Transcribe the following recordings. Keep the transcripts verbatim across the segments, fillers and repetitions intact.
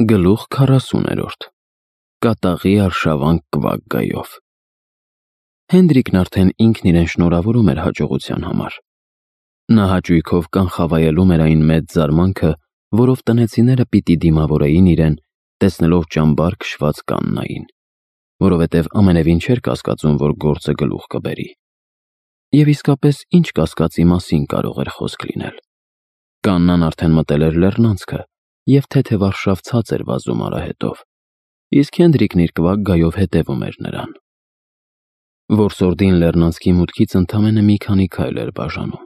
Գլուխ քառասուներորդ Կատաղի արշավանք կվագգայով Հենդրիկն արդեն ինքն իրեն շնորհավորում էր հաջողության համար։ Նա հաճույքով կանխավայելում էր այն մեծ զարմանքը, որով տնեցիները պիտի դիմավորեին իրեն, տեսնելով ճամբար քշված կաննային, որովհետև ամենևին չէր կասկածում, որ գործը գլուխ կբերի։ Եվ իսկապես ինչ կասկածի մասին կարող էր խոսք լինել։ Կաննան արդեն մտել էր լեռնանցքը, և թեթև արշավ ցած էր վազում արահետով, իսկ Հենդրիկն իր կվագգայով հետևում էր նրան։ Որսորդին լեռնանցքի մուտքից ընդամենը մի քանի քայլ էր բաժանում։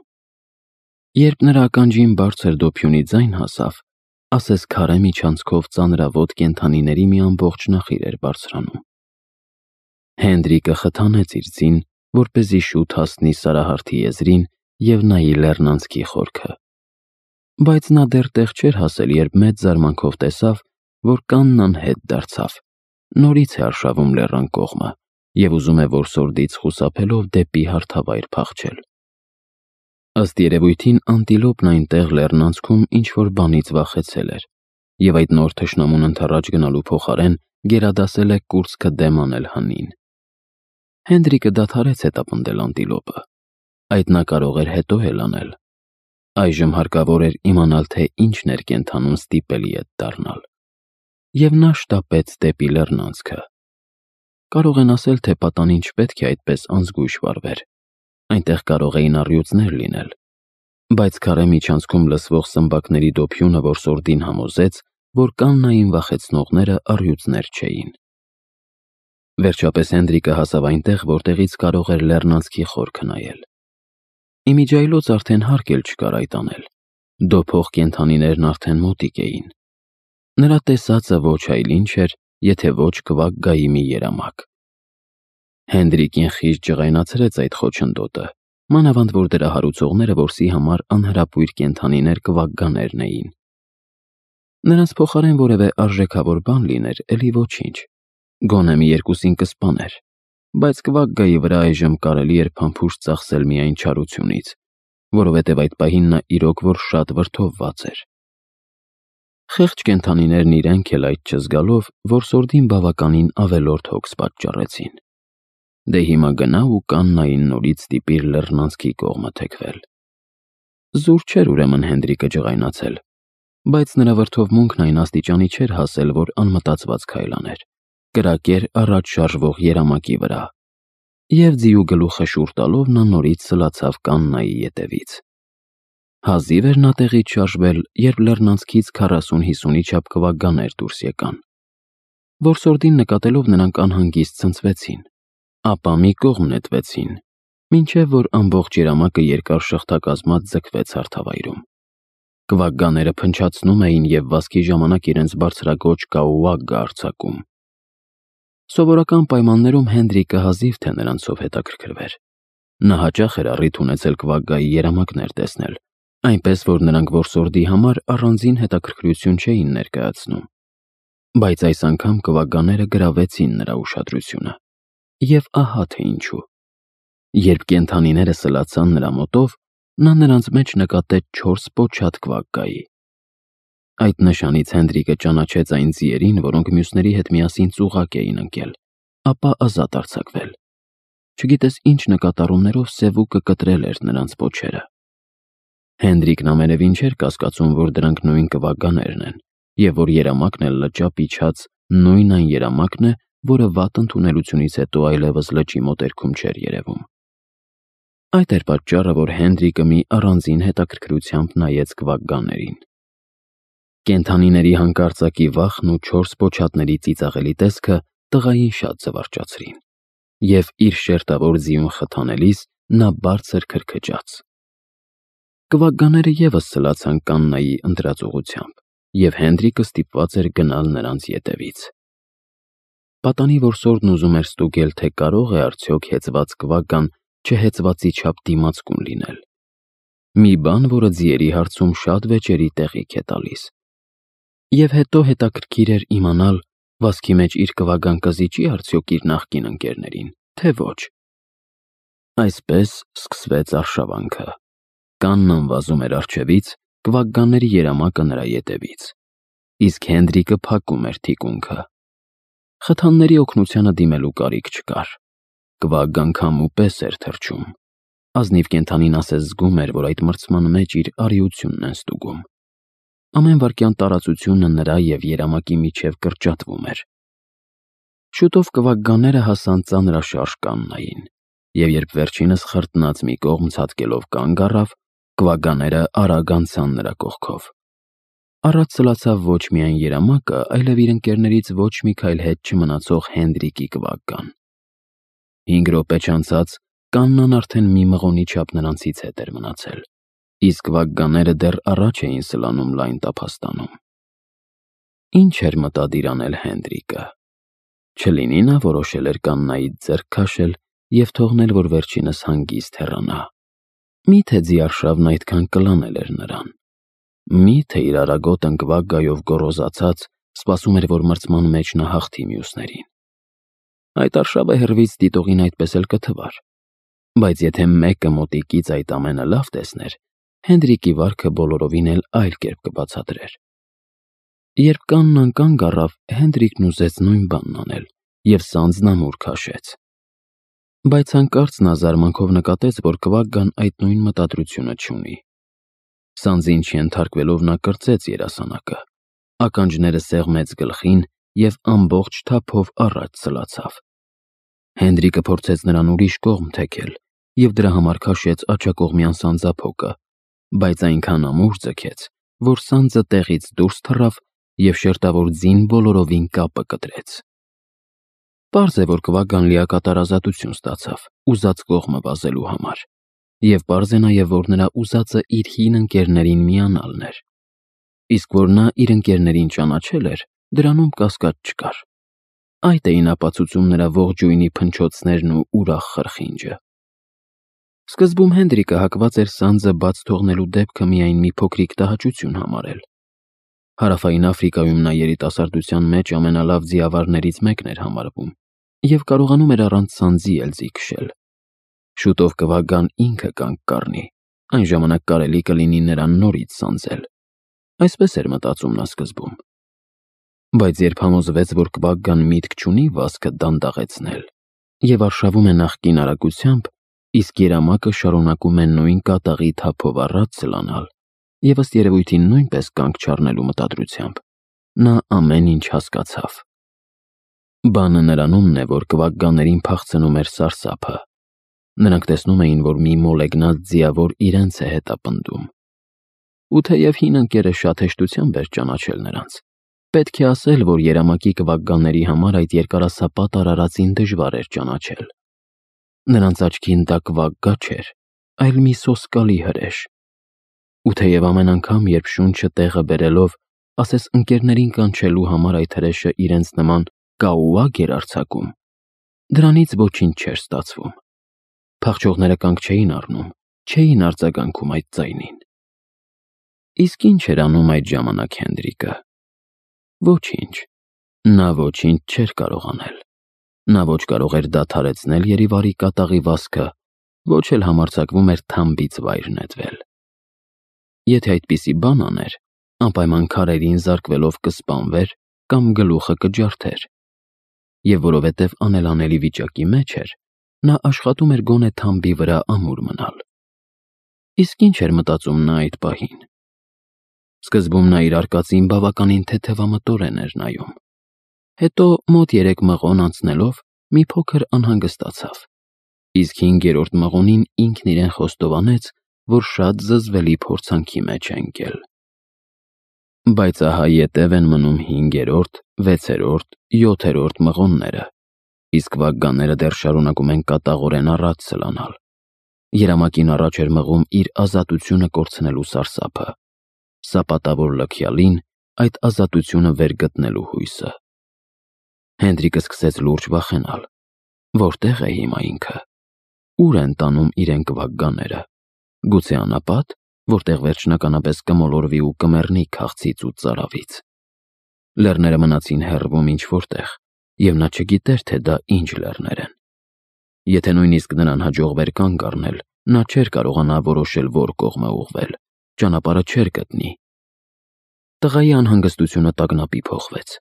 Երբ նրա ականջին բարձր դոփյունի ձայն հասավ, ասես քարե միջանցքով ծանրավոտ կենդանիների մի ամբողջ նախիր էր բարձրանում։ Հենդրիկը խթանեց իր ձին, որպեսզի շուտ հասնի Սարահարթի եզրին և նայի լեռնանցքի խորքը։ Բայց նա դեռ տեղ չէր հասել, երբ մեծ զարմանքով տեսավ, որ կաննան հետ դարձավ, նորից է արշավում լեռան կողմը և ուզում է որսորդից խուսափելով դեպի հարթավայր փախչել։ Ըստ երևույթին անտիլոպն այնտեղ լեռնանցքում ինչ-որ բանից վախեցել էր, և այդ նոր թշնամուն ընդառաջ գնալու փոխարեն գերադասել է կուրծքը դեմ անել հնին։ Հենդրիկը դադարեց հետապնդել անտիլոպը։ Այդ նա կարող էր հետո էլ անել։ Այժմ հարկավոր էր իմանալ, թե ինչն էր կենդանուն ստիպելի ետ դառնալ։ Եվ նա շտապեց դեպի լեռնանցքը։ Կարող են ասել, թե պատանին չպետք է այդպես անզգույշ վարվեր, այնտեղ կարող էին առյուծներ լինել, բայց քարե միջանցքում լսվող սմբակների դոփյունը որսորդին համոզեց, որ կաննային վախեցնողները առյուծներ չէին։ Վերջապես Հենդրիկը հասավ այնտեղ, որտեղից կարող էր լեռնանցքի խորքը նայել։ Իմիջիայլոց արդեն հարկ էլ չկար այդ անել։ Դոփող կենդանիներն արդեն մոտիկ էին։ Նրա տեսածը ոչ այլ ինչ էր, եթե ոչ կվագգայի մի երամակ։ Հենդրիկին խիստ ջղայնացրեց այդ խոչընդոտը, մանավանդ որ դրա հարուցողները որսի համար անհրապույր կենդանիներ կվագգաներն էին։ Նրանց փոխարեն որևէ արժեքավոր բան լիներ, էլի ոչինչ, գոնե մի երկուսին կսպաներ, բայց կվագգայի վրա այժմ կարելի էր փամփուշտ ծախսել միայն չարությունից, որովհետև այդ պահին նա իրոք որ շատ վրդովված էր։ Խեղճ կենդանիներն իրենք էլ այդ չզգալով որսորդին բավականին ավելորդ հոգս պատճառեցին։ Դե հիմա գնա ու կաննային նորից ստիպիր լեռնանցքի կողմը թեքվել։ Զուր չէր ուրեմն Հենդրիկը ջղայնացել, բայց նրա վրդովմունքն այն աստիճանի չէր հասել, որ անմտածված քայլ աներ, կրակեր առաջ շարժվող երամակի վրա, և ձիու գլուխը շուռ տալով նա նորից սլացավ կաննայի ետևից։ Հազիվ էր նա տեղից շարժվել, երբ լեռնանցքից քառասուն-հիսունի չափ կվագգաներ դուրս եկան։ Որսորդին նկատելով նրանք անհանգիստ ցնցվեցին, ապա մի կողմ նետվեցին, մինչև որ ամբողջ երամակը երկար շղթակազմած ձգվեց հարթավայրում։ Կվագգաները փնչացնում էին և վազքի ժամանակ իրենց բարձրաձոչ կաուագգը արձակում։ Սովորական պայմաններում Հենդրիկը հազիվ թե նրանցով հետաքրքրվեր։ Նա հաճախ էր առիթ ունեցել կվագգայի երամակներ տեսնել, այնպես որ նրանք որսորդի համար առանձին հետաքրքրություն չէին ներկայացնում։ Բայց այս անգամ կվագգաները գրավեցին նրա ուշադրությունը։ Եվ ահա թե ինչու։ Երբ կենդանիները սլացան նրա մոտով, նա նրանց մեջ նկատեց չորս պոչատ կվագգայի։ Այդ նշանից Հենդրիկը ճանաչեց այն ձիերին, որոնք մյուսների հետ միասին ծուղակ էին ընկել, ապա ազատ արձակվել։ Չգիտես ինչ նկատառումներով սևուկը կտրել էր նրանց պոչերը։ Հենդրիկն ամենևին չէր կասկածում, որ դրանք նույն կվագգաներն են, և որ երամակն էլ լճապ իջած նույն այն երամակն է, որը վատ ընդունելությունից հետո այլևս լճի մոտերքում չէր երևում։ Այդ էր պատճառը, որ Հենդրիկը մի առանձին հետաքրքրությամբ նայեց կվագգաներին։ Կենդանիների հանկարծակի վախն ու չորս պոչատների ծիծաղելի տեսքը տղային շատ զվարճացրին, և իր շերտավոր ձիուն խթանելիս նա բարձր քրքջաց։ Կվագգաները ևս սլացան կաննայի ընտրած ուղղությամբ, և Հենդրիկը ստիպված էր գնալ նրանց ետևից։ Պատանի որսորդն ուզում էր ստուգել, թե կարող է արդյոք հեծված կվագգան չհեծվածի չափ դիմացկուն լինել։ Մի բան, որը ձիերի հարցում շատ վեճերի տեղիք է տալիս։ Եվ հետո հետաքրքիր էր իմանալ, վազքի մեջ իր կվագգան կզիջի արդյոք իր նախկին ընկերներին, թե ոչ։ Այսպես սկսվեց արշավանքը։ Կաննան վազում էր առջևից, կվագգաների երամակը նրա ետևից։ իսկ Հենդրիկը փակում էր թիկունքը։ Խթանների օգնությանը դիմելու կարիք չկար։ Կվագգան քամու պես էր թռչում։ Ազնիվ կենդանին ասես զգում էր, որ այդ մրցման մեջ իր արիությունն են ստուգում։ Ամեն վայրկյան տարածությունը նրա և երամակի միջև կրճատվում էր։ Շուտով կվագգաները հասան ծանրաշարժ կաննային, և երբ վերջինս խրտնած մի կողմ ցատկելով կանգ առավ, կվագգաները արագ անցան նրա կողքով։ Առաջ սլացավ ոչ միայն երամակը, այլև իր ընկերներից ոչ մի քայլ հետ չմնացող Հենդրիկի կվագգան։ Հինգ րոպե չանցած կաննան արդեն մի մղոնի չափ նրանցից հետ էր մնացել, իսկ կվագգաները դեռ առաջ էին սլանում լայն տափաստանում։ Ինչ էր մտադիր անել Հենդրիկը։ Չլինի նա որոշել էր կաննայից ձեռք քաշել և թողնել, որ վերջինս հանգիստ հեռանա։ Մի՞թե ձիարշավն այդքան կլանել էր նրան։ Մի՞թե իր արագոտ ընկվագգայով գոռոզացած սպասում էր, որ մրցման մեջ նա հաղթի մյուսներին։ Այդ արշավը հեռվից դիտողին այդպես էլ կթվար, բայց եթե մեկը մոտիկից այդ ամենը լավ տեսներ, Հենդրիկի վարքը բոլորովին էլ այլ կերպ կբացատրեր։ Երբ կաննան կանգ առավ, Հենդրիկն ուզեց նույն բանն անել և սանձնամուռ քաշեց։ Բայց հանկարծ նա զարմանքով նկատեց, որ կվագգան այդ նույն մտադրությունը չունի։ Սանձին չենթարկվելով նա կրծեց երասանակը, ականջները սեղմեց գլխին և ամբողջ թափով առաջ սլացավ։ Հենդրիկը փորձեց նրան ուրիշ կողմ թեքել և դրա համար քաշեց աջակողմյան սանձափոկը, բայց այնքան ամուր ձգեց, որ սանձը տեղից դուրս թռավ և շերտավոր ձին բոլորովին կապը կտրեց։ Պարզ է, որ կվագգան լիակատար ազատություն ստացավ ուզած կողմը վազելու համար, և պարզ է նաև, որ նրա ուզածը իր հին ընկերներին միանալն էր, իսկ որ նա իր ընկերներին ճանաչել էր, դրանում կասկած չկար։ Այդ էին ապացուցում նրա ողջույնի փնչոցներն ու ուրախ խրխինջը։ Սկզբում Հենդրիկը հակված էր սանձը բաց թողնելու դեպքը միայն մի փոքրիկ տհաճություն համարել։ Հարավային Աֆրիկայում նա երիտասարդության մեջ ամենալավ ձիավարներից մեկն էր համարվում և կարողանում էր առանց սանձի էլ ձի քշել։ Շուտով կվագգան ինքը կանգ կառնի, այն ժամանակ կարելի կլինի նրան նորից սանձել։ Այսպես էր մտածում նա սկզբում։ Բայց երբ համոզվեց, որ կվագգան միտք չունի վազքը դանդաղեցնել և արշավում է նախկին արագությամբ, իսկ երամակը շարունակում է նույն կատաղի թափով առաջ սլանալ և ըստ երևույթին նույնպես կանգ չառնելու մտադրությամբ, նա ամեն ինչ հասկացավ։ Բանը նրանումն է, որ կվագգաներին փախցնում էր սարսափը։ Նրանք տեսնում էին, որ մի մոլեգնած ձիավոր իրենց է հետապնդում։ Ու թեև հին ընկերը շատ հեշտությամբ էր ճանաչել նրանց, պետք է ասել, որ երամակի կվագգաների համար այդ երկարասապատ արարածին դժվար էր ճանաչել։ Նրանց աչքին դա կվագգա չէր, այլ մի սոսկալի հրեշ։ Ու թեև ամեն անգամ, երբ շունչը տեղը բերելով, ասես ընկերներին կանչելու համար այդ հրեշը իրենց նման կաուակ էր արձակում, դրանից ոչինչ չէր ստացվում։ Փախչողները կանգ չէին առնում, չէին արձագանքում այդ ձայնին։ Իսկ ինչ էր անում այդ ժամանակ Հենդրիկը։ Ոչինչ։ Նա ոչինչ չէր կարող անել։ Նա ոչ կարող էր դադարեցնել Երևարի կատաղի վազքը, ոչ էլ համարձակվում էր թամբից վայր նետվել։ Եթե այդպիսի բան աներ, անպայման քարերին զարկվելով կսպանվեր կամ գլուխը կջարդեր։ Եվ որովհետև անելանելի վիճակի մեջ էր, նա աշխատում էր գոնե թամբի վրա ամուր մնալ։ Իսկ ինչ էր մտածում նա այդ պահին։ Սկզբում նա իր արկածին բավականին թեթևամտորեն էր նայում։ Հետո մոտ երեք մղոն անցնելով մի փոքր անհանգստացավ, իսկ հինգերորդ մղոնին ինքն իրեն խոստովանեց, որ շատ զզվելի փորձանքի մեջ է ընկել։ Բայց ահա ետև են մնում հինգերորդ, վեցերորդ, յոթերորդ մղոնները, իսկ վագգաները դեռ շարունակում են կատաղորեն առաջ սլանալ։ Երամակին առաջ էր մղում իր ազատությունը կորցնելու սարսափը, սապատավոր լքյալին այդ ազատությունը վեր գտնելու հույսը։ Հենդրիկը սկսեց լուրջ վախենալ։ Որտե՞ղ է հիմա ինքը։ Ուր են տանում իրեն կվագգաները։ Գուցե անապատ, որտեղ վերջնականապես կմոլորվի ու կմեռնի քաղցից ու ծարավից։ Լեռները մնացին հեռվում ինչ-որտեղ, և նա չգիտեր, թե դա ինչ լեռներ են։ Եթե նույնիսկ նրան հաջողվեր կանգ առնել, նա չէր կարողանա որոշել որ կողմ է ուղղվել, ճանապարհը չէր գտնի։ Տղայի անհանգստությունը տագնապի փոխվեց։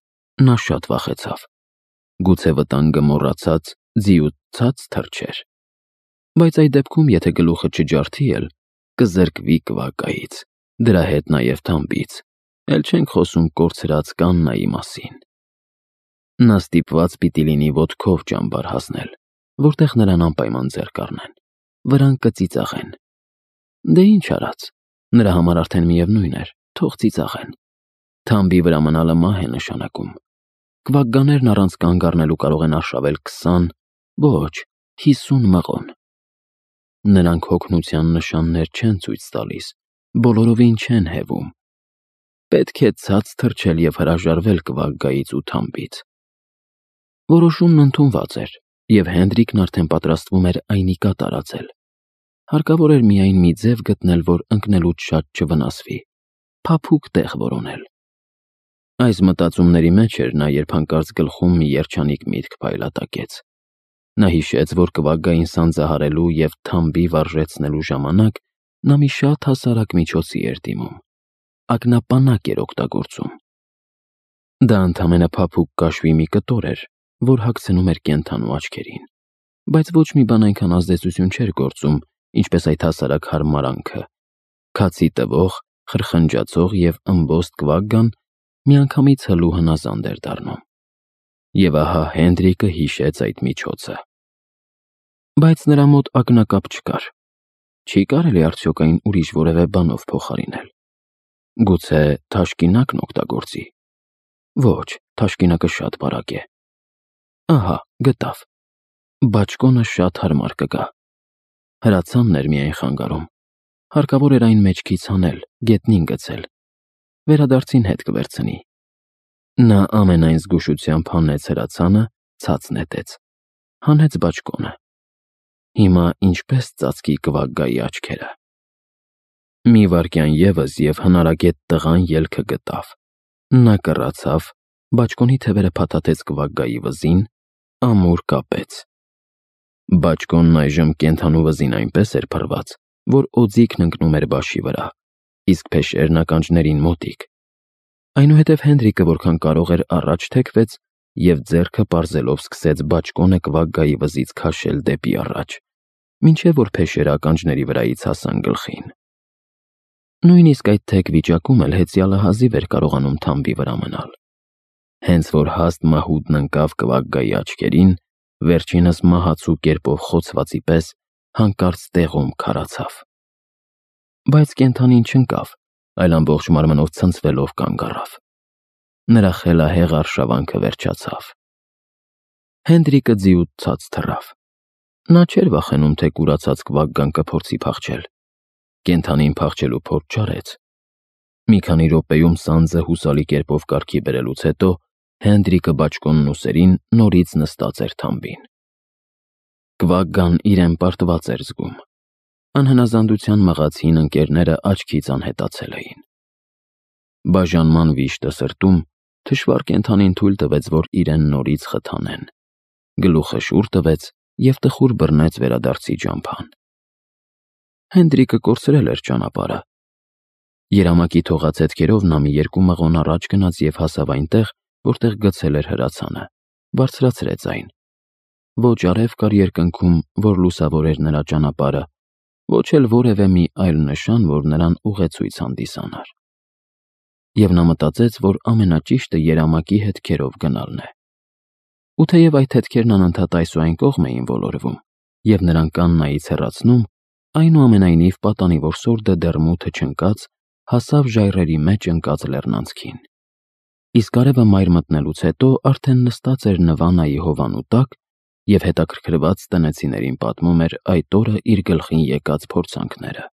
Նա շատ վախեցավ։ Գուցե վտանգը մոռացած, ձիուց ցած թռչեր։ Բայց այդ դեպքում, եթե գլուխը չջարդի էլ, կզրկվի կվակայից, դրա հետ նաև թամբից, էլ չենք խոսում կորցրած կաննայի մասին։ Նա ստիպված պիտի լինի ոտքով ճամբար հասնել, որտեղ նրան անպայման ձեռք առնեն, վրան կծիծաղեն։ Դե ինչ արած, նրա համար արդեն միևնույն էր, թող ծիծաղեն։ Թամբի վրա մնալը մահ է նշանակում։ Կվակգաներն առանց կանգ առնելու կարող են արշավել քսան, ոչ, հիսուն մղոն։ Նրանք հոգնության նշաններ չեն ցույց տալիս, բոլորովին չեն հևում։ Պետք է ցած թռչել և հրաժարվել կվակգայից ու թամբից։ Որոշումն ընդունված էր, և Հենրիկն արդեն պատրաստվում էր այնիկա տարածել։ Հարկավոր էր միայն մի ձև գտնել, որ ընկնելուց շատ չվնասվի, փափուկ տեղ որոնել։ Այս մտածումների մեջ էր նա, երբ հանկարծ գլխում մի երջանիկ միտք փայլատակեց։ Նա հիշեց, որ կվակգային սանձահարելու և թամբի վարժեցնելու ժամանակ նա մի շատ հասարակ միջոցի էր դիմում։ Ակնապանակ էր օգտագործում։ Դա ընդամենը փափուկ կաշվի մի կտոր էր, որ հագցնում էր կենդանու աչքերին, բայց ոչ մի բան այնքան ազդեցություն չէր գործում, ինչպես այդ հասարակ հարմարանքը։ Քացի տվող, խրխնջացող և ըմբոստ կվակգան միանգամից հլու հնազանդ էր դառնում։ Եվ ահա Հենրիկը հիշեց այդ միջոցը։ Բայց նրա մոտ ակնակապ չկար։ Չի կարելի արդյոք այն ուրիշ որևէ բանով փոխարինել։ Գուցե թաշկինակն օգտագործի։ Ոչ, թաշկինակը շատ բարակ է։ Ահա, գտավ։ Բաճկոնը շատ հարմար կգա։ Հրացանն էր միայն խանգարում։ Հարկավոր էր այն մեջքից հանել, գետնին գցել։ Վերադարձին հետ կվերցնի։ Նա ամենայն զգուշությամբ հանեց հրացանը, ցած նետեց, հանեց բաճկոնը։ Հիմա ինչպես ծածկի կվակգայի աչքերը։ Մի վայրկյան ևս և հնարագետ տղան ելքը գտավ։ Նա կռացավ, բաճկոնի թևերը փաթաթեց կվակգայի վզին, ամուր կապեց։ Բաճկոնն այժմ կենդանու վզին այնպես էր փռված, որ օձիքն ընկնում էր բաշի վրա, իսկ փեշերն ականջներին մոտիկ։ Այնուհետև Հենրիկը որքան կարող էր առաջ թեքվեց և ձեռքը պարզելով սկսեց բաճկոնը կվակգայի վզից քաշել դեպի առաջ, մինչև որ փեշերը ականջների վրայից հասան գլխին։ Նույնիսկ այդ թեք վիճակում էլ հեծյալը հազիվ էր կարողանում թամբի վրա մնալ։ Հենց որ հաստ մահուդն ընկավ կվակգայի աչքերին, վերջինս մահացու կերպով խոցվածի պես հանկարծ տեղում քարացավ։ Բայց կենդանին չընկավ, այլ ամբողջ մարմնով ցնցվելով կանգ առավ։ Նրա խելահեղ արշավանքը վերջացավ։ Հենրիկը ձիուց ցած թռավ։ Նա չէր վախենում, թե կուրացած կվակգան կփորձի փախչել։ Կենդանին փախչելու փորձ չարեց։ Մի քանի րոպեում սանձը հուսալի կերպով կարգի բերելուց հետո Հենրիկը բաճկոնն ուսերին նորից նստած էր թամբին։ Կվակգան իրեն պարտված էր զգում։ Անհնազանդության մղած հին ընկերները աչքից անհետացել էին։ Բաժանման վիշտը սրտում թշվառ կենդանին թույլ տվեց, որ իրեն նորից խթանեն։ Գլուխը շուռ տվեց և տխուր բռնեց վերադարձի ճամփան։ Հենրիկը կորցրել էր ճանապարհը։ Երամակի թողած հետքերով նա մի երկու մղոն առաջ գնաց և հասավ այնտեղ, որտեղ գցել էր հրացանը, բարձրացրեց այն։ Ոչ արև կար երկնքում, որ լուսավորեր նրա ճանապարհը, ոչ էլ որևէ մի այլ նշան, որ նրան ուղեցույց հանդիսանար։ Եվ նա մտածեց, որ ամենաճիշտը երամակի հետքերով գնալն է։ Ու թեև այդ հետքերն անընդհատ այս ու այն կողմ էին ոլորվում և նրան կաննայից հեռացնում, այնուամենայնիվ պատանի, որ սորդը դեռ մութը չընկած, հասավ ժայռերի մեջ ընկած լեռնանցքին։ Իսկ արևը մայր մտնելուց հետո արդեն նստած էր Նվանայի հովանու տակ և հետաքրքրված տնեցիներին պատմում էր այդ օրը իր գլխին եկած փորձանքները։